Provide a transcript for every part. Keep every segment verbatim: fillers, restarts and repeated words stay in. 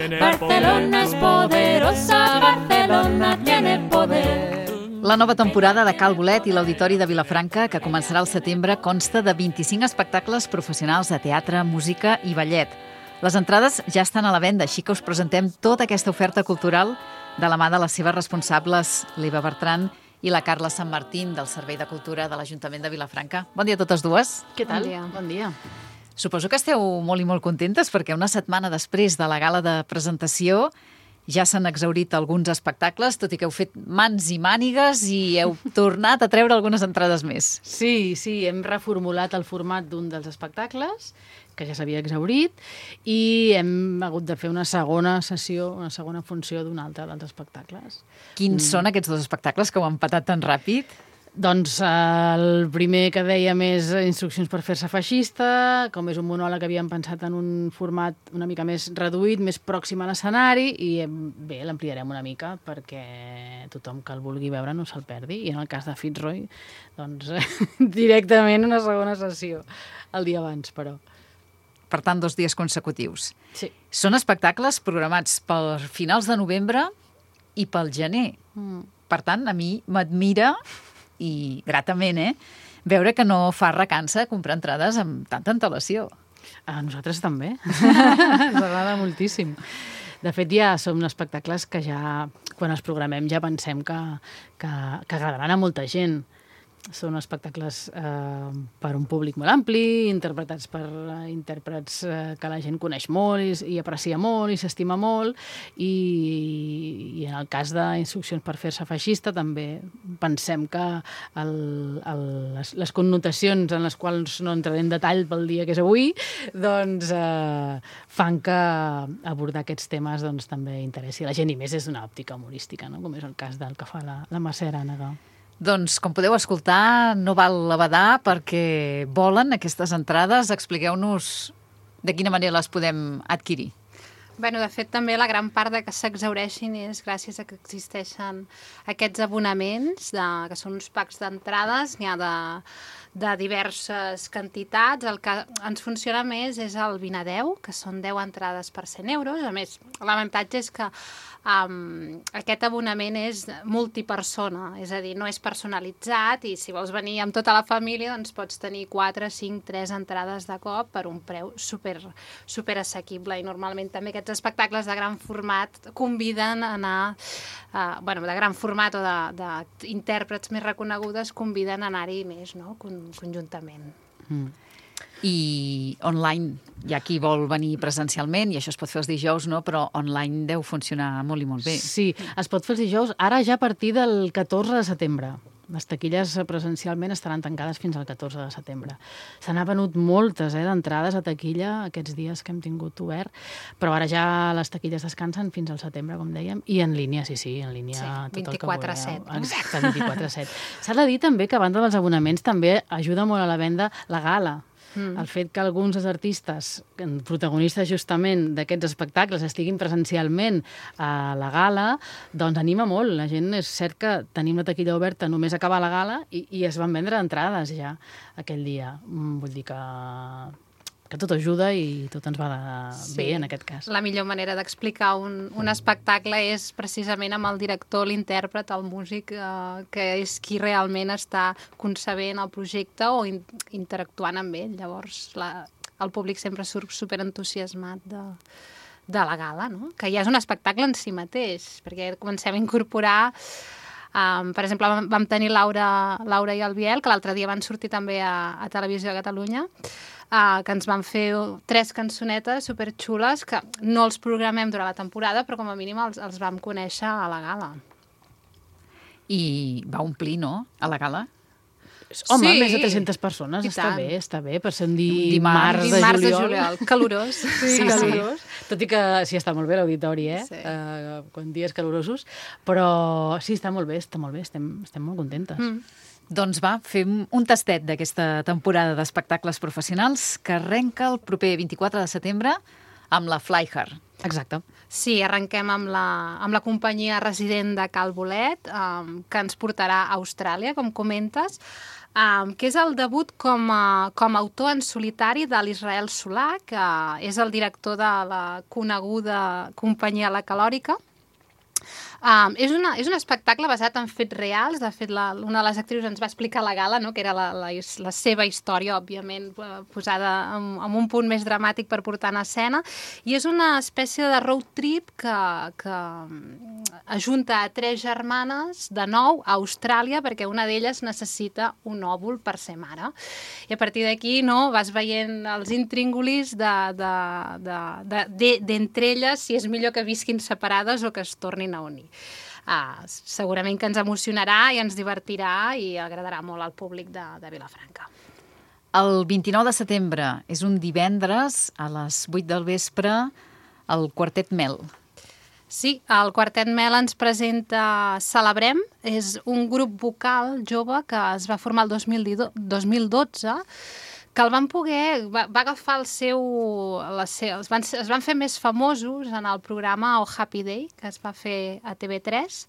Barcelona es poderosa, Barcelona tiene poder. La nova temporada de Cal Bolet i l'Auditori de Vilafranca, que començarà al setembre, consta de vint-i-cinc espectacles professionals de teatre, música i ballet. Les entrades ja estan a la venda, així que us presentem tota aquesta oferta cultural de la mà de les seves responsables, l'Eva Bertran i la Carla Sant Martín, del Servei de Cultura de l'Ajuntament de Vilafranca. Bon dia a totes dues. Què tal? Bon dia. Bon dia. Suposo que esteu molt i molt contentes perquè una setmana després de la gala de presentació ja s'han exhaurit alguns espectacles, tot i que heu fet mans i mànigues i heu tornat a treure algunes entrades més. Sí, sí, hem reformulat el format d'un dels espectacles, que ja s'havia exhaurit, i hem hagut de fer una segona sessió, una segona funció d'un altre dels espectacles. Quins mm. són aquests dos espectacles que heu empatat tan ràpid? Doncs el primer que dèiem és Instruccions per fer-se feixista, com és un monòleg que havíem pensat en un format una mica més reduït, més pròxim a l'escenari, i bé, l'ampliarem una mica perquè tothom que el vulgui veure no se'l perdi. I en el cas de Fitzroy, doncs directament una segona sessió, el dia abans, però. Per tant, dos dies consecutius. Sí. Són espectacles programats per finals de novembre i pel gener. Mm. Per tant, a mi m'admira i gratament, eh? Veure que no fa recança comprar entrades amb tanta antelació. A nosaltres també. Ens agrada moltíssim. De fet, ja són espectacles que ja, quan els programem, ja pensem que, que, que agradaran a molta gent. Són espectacles eh, per un públic molt ampli, interpretats per eh, intèrprets eh, que la gent coneix molt i, i aprecia molt i s'estima molt, i, i en el cas d'Instruccions per fer-se feixista també pensem que el, el, les, les connotacions en les quals no entraré en detall pel dia que és avui, doncs eh, fan que abordar aquests temes doncs, també interessi a la gent, i més és una òptica humorística, no? Com és el cas del que fa la, la Mercè Arànega. Doncs, com podeu escoltar, no val l'abadar perquè volen aquestes entrades. Expliqueu-nos de quina manera les podem adquirir. Bé, de fet, també la gran part de que s'exhaureixin és gràcies a que existeixen aquests abonaments, de, que són uns packs d'entrades, n'hi ha de, de diverses quantitats. El que ens funciona més és el vint a deu, que són deu entrades per cent euros. A més, l'avantatge és que um, aquest abonament és multipersona, és a dir, no és personalitzat, i si vols venir amb tota la família, doncs pots tenir quatre, cinc, tres entrades de cop per un preu super, super assequible. I normalment també aquests espectacles de gran format conviden a anar, uh, bueno, de gran format o d'intèrprets més reconegudes conviden a anar-hi més, no?, Con, conjuntament. Mm. I online, hi ha qui vol venir presencialment, i això es pot fer els dijous, no? Però online deu funcionar molt i molt bé. Sí, es pot fer els dijous, ara ja a partir del catorze de setembre. Les taquilles presencialment estaran tancades fins al catorze de setembre. Se n'ha venut moltes eh, d'entrades a taquilla aquests dies que hem tingut obert, però ara ja les taquilles descansen fins al setembre, com dèiem, i en línia, sí, sí, en línia sí, tot vint-i-quatre el que set. vulgueu. Exacte, vint-i-quatre set. S'ha de dir també que a banda dels abonaments també ajuda molt a la venda la gala. Mm. El fet que alguns dels artistes, protagonistes justament d'aquests espectacles, estiguin presencialment a la gala, doncs anima molt. La gent, és cert que tenim la taquilla oberta només acabar la gala i, i es van vendre entrades ja aquell dia. Vull dir que, que tot ajuda i tot ens va de sí. bé en aquest cas. La millor manera d'explicar un, un espectacle és precisament amb el director, l'intèrpret, el músic, eh, que és qui realment està concebent el projecte o in, interactuant amb ell. Llavors la, el públic sempre surt superentusiasmat de, de la gala, no? Que ja és un espectacle en si mateix, perquè comencem a incorporar... Um, per exemple, vam tenir Laura, Laura i el Biel, que l'altre dia van sortir també a, a Televisió de Catalunya, uh, que ens van fer tres cançonetes superxules que no els programem durant la temporada, però com a mínim els, els vam conèixer a la gala. I va omplir, no?, a la gala? Home, sí, més de tres-centes persones, està bé, està bé, per ser un dimarts, dimarts de dimarts juliol. de juliol, calorós. Sí, sí, calorós. Sí. Tot i que sí, està molt bé l'auditori, eh? Sí. Uh, quan dies calorosos, però sí, està molt bé, està molt bé, estem, estem molt contentes. Mm. Doncs va, fem un tastet d'aquesta temporada d'espectacles professionals que arrenca el proper vint-i-quatre de setembre amb la Fly Hard. Exacte. Sí, arrenquem amb la, amb la companyia resident de Cal Bolet, um, que ens portarà a Austràlia, com comentes. um, que és el debut com a, com a autor en solitari de l'Israel Solà, que és el director de la coneguda companyia La Calòrica. Um, és, una, és un espectacle basat en fets reals. De fet, la, una de les actrius ens va explicar a la gala, no?, que era la, la, la seva història, òbviament, posada en, en un punt més dramàtic per portar en escena. I és una espècie de road trip que, que ajunta a tres germanes de nou a Austràlia, perquè una d'elles necessita un òvul per ser mare. I a partir d'aquí, no, vas veient els intríngulis d'entre de, de, de, de, de, elles, si és millor que visquin separades o que es tornin a unir. Ah, segurament que ens emocionarà i ens divertirà i agradarà molt al públic de, de Vilafranca. El vint-i-nou de setembre és un divendres a les vuit del vespre al Quartet Mel. Sí, el Quartet Mel ens presenta Celebrem. És un grup vocal jove que es va formar el dos mil dotze, que el van poder, va, va agafar el seu, la seu es, van, es van fer més famosos en el programa Oh Happy Day, que es va fer a T V tres,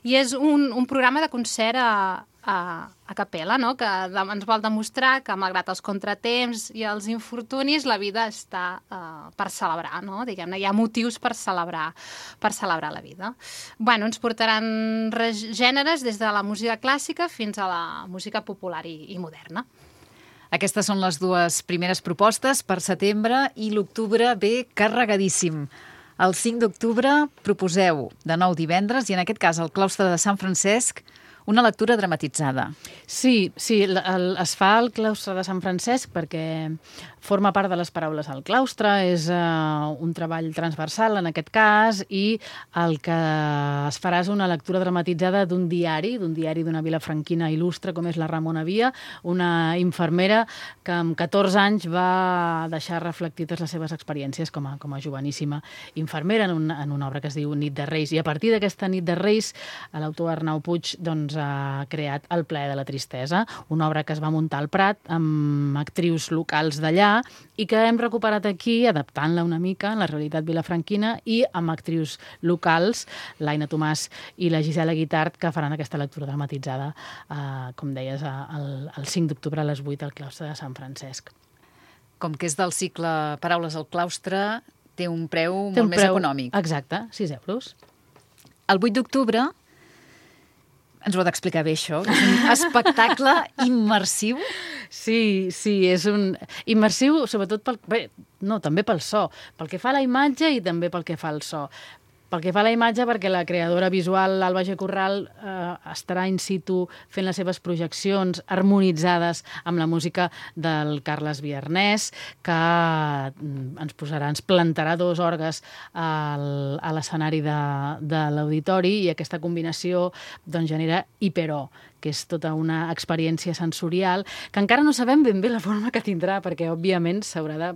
i és un, un programa de concert a, a, a capella, no?, que ens vol demostrar que, malgrat els contratemps i els infortunis, la vida està uh, per celebrar, no?, diguem-ne, hi ha motius per celebrar, per celebrar la vida. Bueno, ens portaran gèneres des de la música clàssica fins a la música popular i, i moderna. Aquestes són les dues primeres propostes per setembre i l'octubre ve carregadíssim. El cinc d'octubre proposeu de nou divendres i en aquest cas al claustre de Sant Francesc una lectura dramatitzada. Sí, sí, el, el, es fa al claustre de Sant Francesc perquè forma part de les paraules al claustre, és uh, un treball transversal en aquest cas, i el que es farà és una lectura dramatitzada d'un diari, d'un diari d'una vilafranquina il·lustre com és la Ramona Via, una infermera que amb catorze anys va deixar reflectides les seves experiències com a, com a joveníssima infermera en, un, en una obra que es diu Nit de Reis. I a partir d'aquesta Nit de Reis, l'autor Arnau Puig doncs, ha creat El plaer de la tristesa, una obra que es va muntar al Prat amb actrius locals d'allà i que hem recuperat aquí, adaptant-la una mica en la realitat vilafranquina i amb actrius locals, l'Aina Tomàs i la Gisela Guitart, que faran aquesta lectura dramatitzada, eh, com deies, el, el cinc d'octubre a les vuit al claustre de Sant Francesc. Com que és del cicle Paraules al claustre, té un preu té molt un més preu, econòmic. Exacte, sis euros. El vuit d'octubre, ens ho ha d'explicar bé, això, és un espectacle immersiu. Sí, sí, és un immersiu, sobretot pel... Bé, no, també pel so, pel que fa a la imatge i també pel que fa al so. Pel que fa a la imatge, perquè la creadora visual, Alba G. Corral, eh, estarà in situ fent les seves projeccions harmonitzades amb la música del Carles Viernès, que ens posarà, ens plantarà dos orgues al, a l'escenari de, de l'auditori, i aquesta combinació doncs, genera hiperò, que és tota una experiència sensorial que encara no sabem ben bé la forma que tindrà, perquè, òbviament, s'haurà de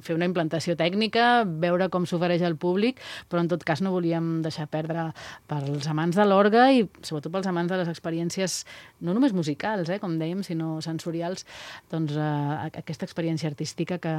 fer una implantació tècnica, veure com s'ofereix al públic, però, en tot cas, no volíem deixar perdre pels amants de l'orgue i, sobretot, pels amants de les experiències no només musicals, eh, com dèiem, sinó sensorials, doncs, eh, aquesta experiència artística que,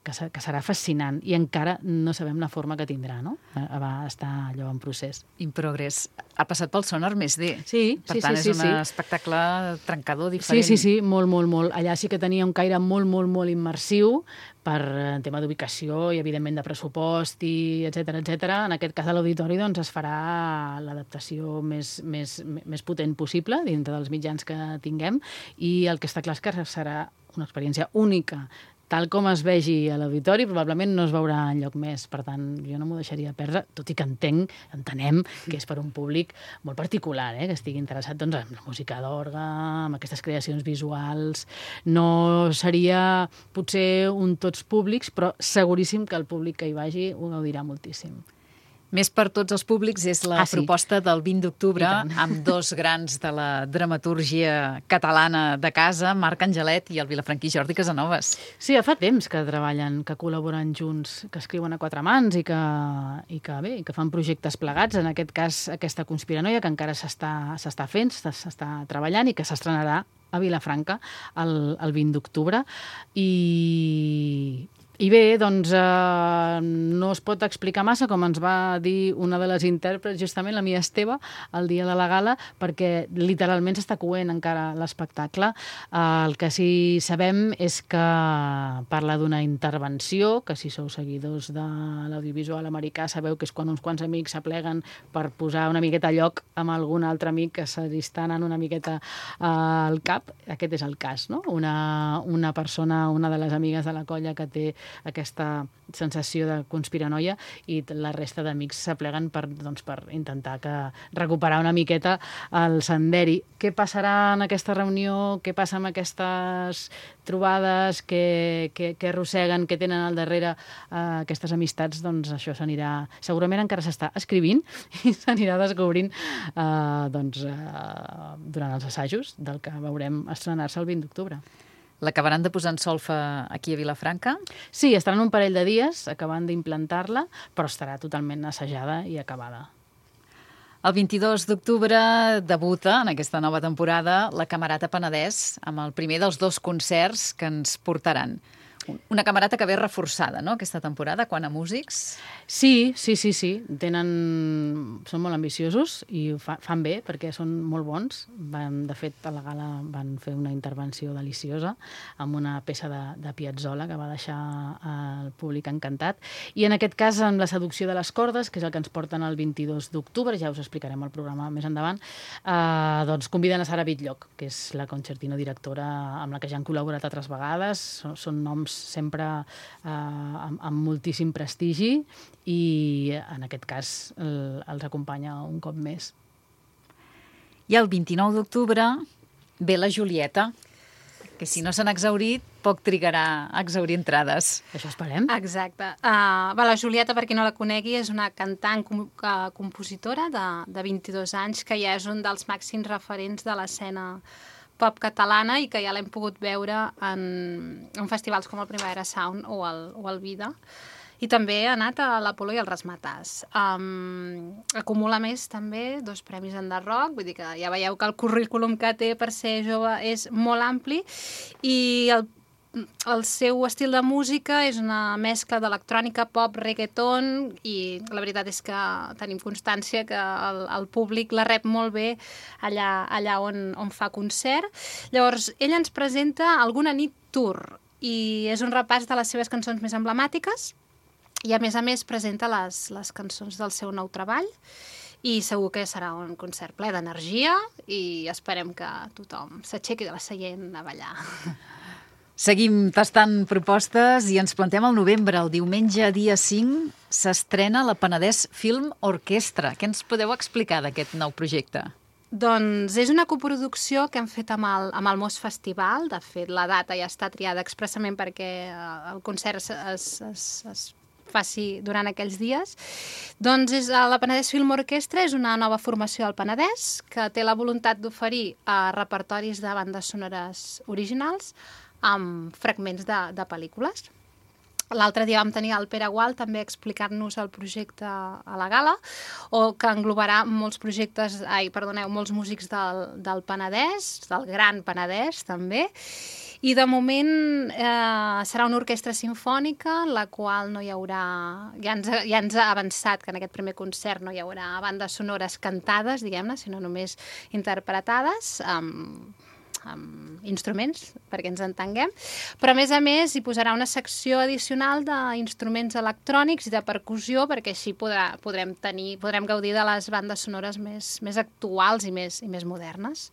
que, que serà fascinant, i encara no sabem la forma que tindrà, no? Va estar allò en procés. In progress. Ha passat pel Sonar Més D. Sí, per sí, tant, sí, sí, és un sí. espectacle trencador, diferent. Sí, sí, sí, molt, molt, molt. Allà sí que tenia un caire molt, molt, molt immersiu per en tema d'ubicació i, evidentment, de pressupost i etcètera, etcètera. En aquest cas, a l'auditori doncs, es farà l'adaptació més, més, més potent possible dintre dels mitjans que tinguem, i el que està clar és que serà una experiència única. Tal com es vegi a l'auditori, probablement no es veurà enlloc més. Per tant, jo no m'ho deixaria perdre, tot i que entenc, entenem que és per un públic molt particular, eh, que estigui interessat doncs, en la música d'orgue, amb aquestes creacions visuals. No seria potser un tots públics, però seguríssim que el públic que hi vagi ho gaudirà moltíssim. Més per tots els públics és la ah, sí. proposta del vint d'octubre, amb dos grans de la dramatúrgia catalana de casa, Marc Angelet i el vilafranquí Jordi Casanovas. Sí, ja fa temps que treballen, que col·laboren junts, que escriuen a quatre mans i que, i que, bé, que fan projectes plegats. En aquest cas, aquesta Conspiranoia, que encara s'està fent, s'està treballant i que s'estrenarà a Vilafranca el, el vint d'octubre. I I bé, doncs, eh, no es pot explicar massa, com ens va dir una de les intèrprets, justament la Mia Esteve, el dia de la gala, perquè literalment s'està coent encara l'espectacle. Eh, el que sí sabem és que parla d'una intervenció, que si sou seguidors de l'audiovisual americà sabeu que és quan uns quants amics s'apleguen per posar una miqueta a lloc amb algun altre amic que se li està anant una miqueta eh, al cap. Aquest és el cas, no? Una, una persona, una de les amigues de la colla que té aquesta sensació de conspiranoia i la resta d'amics s'apleguen per, doncs, per intentar que recuperar una miqueta el senderi. Què passarà en aquesta reunió? Què passa amb aquestes trobades? Què, què, què arrosseguen? Què tenen al darrere eh, aquestes amistats? Doncs això s'anirà... Segurament encara s'està escrivint i s'anirà descobrint eh, doncs, eh, durant els assajos del que veurem estrenar-se el vint d'octubre. L'acabaran de posar en solfa aquí a Vilafranca? Sí, estaran un parell de dies acabant d'implantar-la, però estarà totalment assajada i acabada. El vint-i-dos d'octubre debuta en aquesta nova temporada la Camerata Penedès amb el primer dels dos concerts que ens portaran. Una camerata que ve reforçada, no?, aquesta temporada, quant a músics. Sí, sí, sí, sí. Tenen... Són molt ambiciosos i ho fa, fan bé perquè són molt bons. Van, de fet, a la gala van fer una intervenció deliciosa amb una peça de, de Piazzolla que va deixar el públic encantat. I en aquest cas, amb la seducció de les cordes, que és el que ens porten el vint-i-dos d'octubre, ja us explicarem el programa més endavant, eh, doncs conviden a Sara Bitlloch, que és la concertino directora amb la que ja han col·laborat altres vegades. Són, són noms sempre eh, amb, amb moltíssim prestigi i en aquest cas el, els acompanya un cop més. I el vint-i-nou d'octubre ve la Julieta, que si no s'han exhaurit, poc trigarà a exhaurir entrades. Això esperem. Exacte. Uh, va, la Julieta, per qui no la conegui, és una cantant, com, uh, compositora de, de vint-i-dos anys, que ja és un dels màxims referents de l'escena pop catalana i que ja l'hem pogut veure en, en festivals com el Primavera Sound o el, o el Vida. I també ha anat a l'Apolo i al Razzmatazz. Um, acumula més també dos premis en The Rock, vull dir que ja veieu que el currículum que té per ser jove és molt ampli i el el seu estil de música és una mescla d'electrònica, pop, reggaeton i la veritat és que tenim constància que el, el públic la rep molt bé allà, allà on, on fa concert. Llavors, ella ens presenta alguna nit tour i és un repàs de les seves cançons més emblemàtiques i a més a més presenta les, les cançons del seu nou treball i segur que serà un concert ple d'energia i esperem que tothom s'aixequi de la seient a ballar. Seguim tastant propostes i ens plantem al novembre. El diumenge, dia cinc, s'estrena la Penedès Film Orquestra. Què ens podeu explicar d'aquest nou projecte? Doncs és una coproducció que hem fet amb el, amb el Mos Festival. De fet, la data ja està triada expressament perquè el concert es, es, es, es faci durant aquells dies. Doncs és, la Penedès Film Orquestra és una nova formació del Penedès que té la voluntat d'oferir uh, repertoris de bandes sonores originals amb fragments de, de pel·lícules. L'altre dia vam tenir el Pere Gual també explicar-nos el projecte a la gala, o que englobarà molts projectes, ai, perdoneu, molts músics del, del Penedès, del Gran Penedès també, i de moment eh, serà una orquestra simfònica en la qual no hi haurà, ja ens, ja ens ha avançat que en aquest primer concert no hi haurà bandes sonores cantades, diguem-ne, sinó només interpretades, amb amb instruments, perquè ens entenguem, però a més a més hi posarà una secció addicional d'instruments electrònics i de percussió, perquè així podrà, podrem tenir, podrem gaudir de les bandes sonores més, més actuals i més, i més modernes.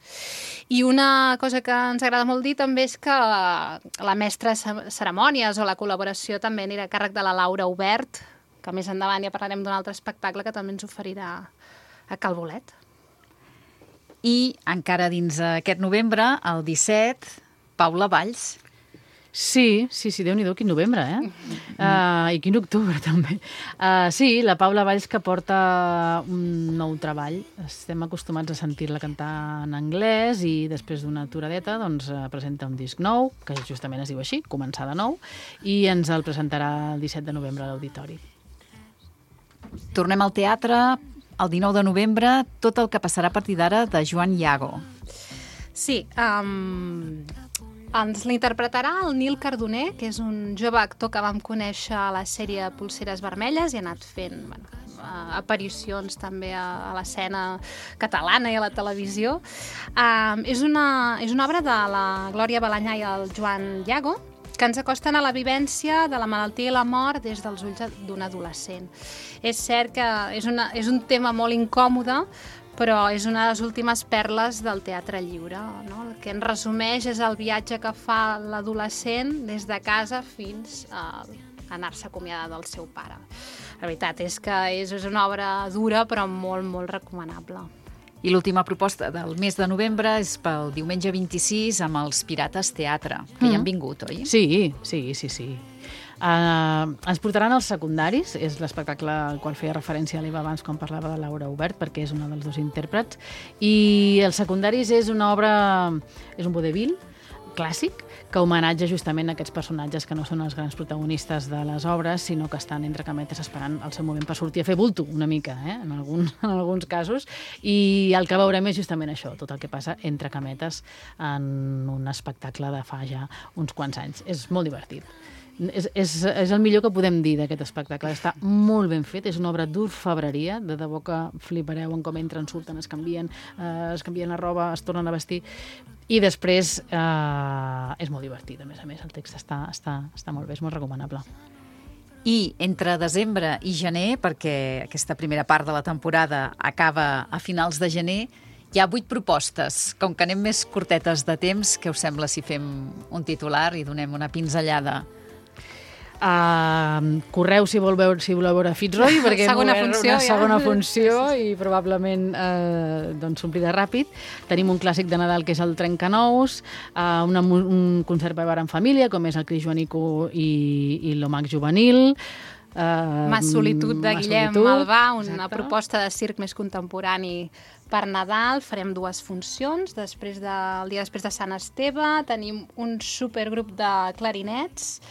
I una cosa que ens agrada molt dir també és que la mestra de cerimònies o la col·laboració també anirà a càrrec de la Laura Obert, que més endavant ja parlarem d'un altre espectacle que també ens oferirà a Cal Bolet. I encara dins aquest novembre, el disset, Paula Valls. Sí, sí, sí, Déu-n'hi-do, quin novembre, eh? Uh, I quin octubre, també. Uh, sí, la Paula Valls que porta un nou treball. Estem acostumats a sentir-la cantar en anglès i després d'una aturadeta doncs, presenta un disc nou, que justament es diu així, Començar de nou, i ens el presentarà el disset de novembre a l'Auditori. Tornem al teatre. El dinou de novembre, tot el que passarà a partir d'ara de Joan Iago. Sí, um, Ens l'interpretarà el Nil Cardoner, que és un jove actor que vam conèixer a la sèrie Polseres Vermelles i ha anat fent bueno, aparicions també a, a l'escena catalana i a la televisió. Um, és, una, és una obra de la Glòria Balanyà i el Joan Llago, que ens acosten a la vivència de la malaltia i la mort des dels ulls d'un adolescent. És cert que és, una, és un tema molt incòmode, però és una de les últimes perles del teatre lliure, no? El que en resumeix és el viatge que fa l'adolescent des de casa fins a anar-se a acomiadar del seu pare. La veritat és que és, és una obra dura, però molt, molt recomanable. I l'última proposta del mes de novembre és pel diumenge vint-i-sis amb els Pirates Teatre, que mm. ja han vingut, oi? Sí, sí, sí, sí. Uh, ens portaran els secundaris, és l'espectacle al qual feia referència a l'Eva abans quan parlava de Laura Obert, perquè és una dels dos intèrprets, i els secundaris és una obra, és un vodevil clàssic, que homenatja justament aquests personatges que no són els grans protagonistes de les obres, sinó que estan entre cametes esperant el seu moment per sortir a fer bulto, una mica, eh? en, alguns, en alguns casos, i el que veurem és justament això, tot el que passa entre cametes en un espectacle de fa ja uns quants anys. És molt divertit. És, és, és el millor que podem dir d'aquest espectacle. Està molt ben fet, és una obra d'orfebreria, de debò que flipareu en com entren, surten, es canvien, eh, es canvien la roba, es tornen a vestir, i després eh, és molt divertit, a més a més, el text està, està, està molt bé, és molt recomanable. I entre desembre i gener, perquè aquesta primera part de la temporada acaba a finals de gener, hi ha vuit propostes. Com que anem més curtetes de temps, què us sembla si fem un titular i donem una pinzellada? Uh, correu si, vol veure, si voleu veure Fitzroy, perquè segona hem funció, una ja. segona funció i probablement uh, doncs s'omplirà ràpid. Tenim un clàssic de Nadal que és el Trencanous, uh, una, un concert per veure en família, com és el Cris Joanico i, i l'Omac Juvenil. Uh, Mas Solitud de Mas Guillem Solitud, Malvà, una exacte. proposta de circ més contemporani per Nadal. Farem dues funcions, després de, el dia després de Sant Esteve. Tenim un supergrup de clarinets,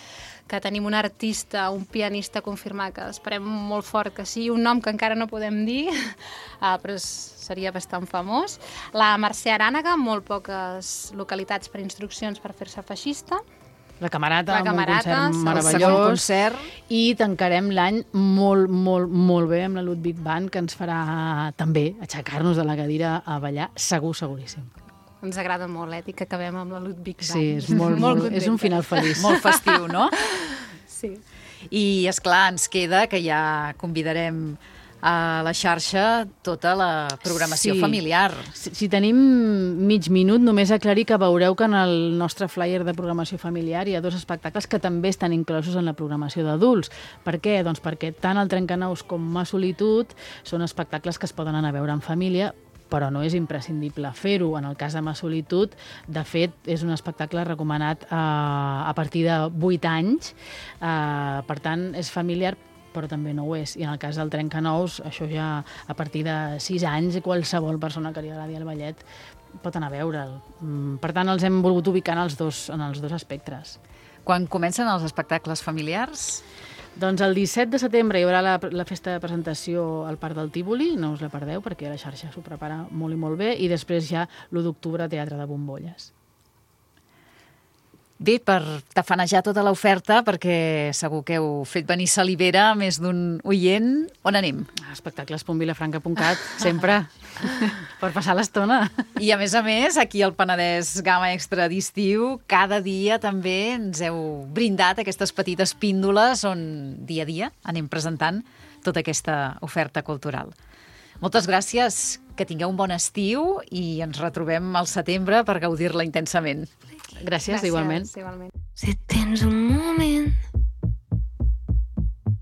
que tenim un artista, un pianista confirmat, que esperem molt fort que sigui, un nom que encara no podem dir, uh, però seria bastant famós. La Mercè Arànega, molt poques localitats per instruccions per fer-se feixista. La Camerata, La amb Camerata, un concert El meravellós. segon concert. I tancarem l'any molt, molt, molt bé amb la Ludwig Band, que ens farà també aixecar-nos de la cadira a ballar, segur, seguríssim. Ens agrada molt, eh, que acabem amb la Ludwig Band. Sí, és, molt, molt, és un final feliç. Molt festiu, no? Sí. I, esclar, ens queda que ja convidarem a la xarxa tota la programació Sí. familiar. Si, si tenim mig minut, només aclarir que veureu que en el nostre flyer de programació familiar hi ha dos espectacles que també estan inclosos en la programació d'adults. Per què? Doncs perquè tant el Trencanous com Mas Solitud són espectacles que es poden anar a veure en família, però no és imprescindible fer-ho. En el cas de Mas Solitud, de fet, és un espectacle recomanat eh, a partir de vuit anys, eh, per tant, és familiar, però també no ho és. I en el cas del Trencanous, això ja a partir de sis anys, qualsevol persona que li agradi el ballet pot anar a veure'l. Per tant, els hem volgut ubicar en els dos, en els dos espectres. Quan comencen els espectacles familiars? Doncs el disset de setembre hi haurà la, la festa de presentació al Parc del Tívoli, no us la perdeu perquè la xarxa s'ho prepara molt i molt bé, i després ja l'u d'octubre Teatre de Bombolles. Bé, per tafanejar tota l'oferta, perquè segur que heu fet venir salivera a més d'un oient, on anem? Espectacles punt vilafranca punt cat, sempre, per passar l'estona. I a més a més, aquí al Penedès Gamma Extra d'estiu, cada dia també ens heu brindat aquestes petites píndoles on dia a dia anem presentant tota aquesta oferta cultural. Moltes gràcies, que tingueu un bon estiu i ens retrobem al setembre per gaudir-la intensament. Gràcies, Gràcies igualment. igualment. Si tens un moment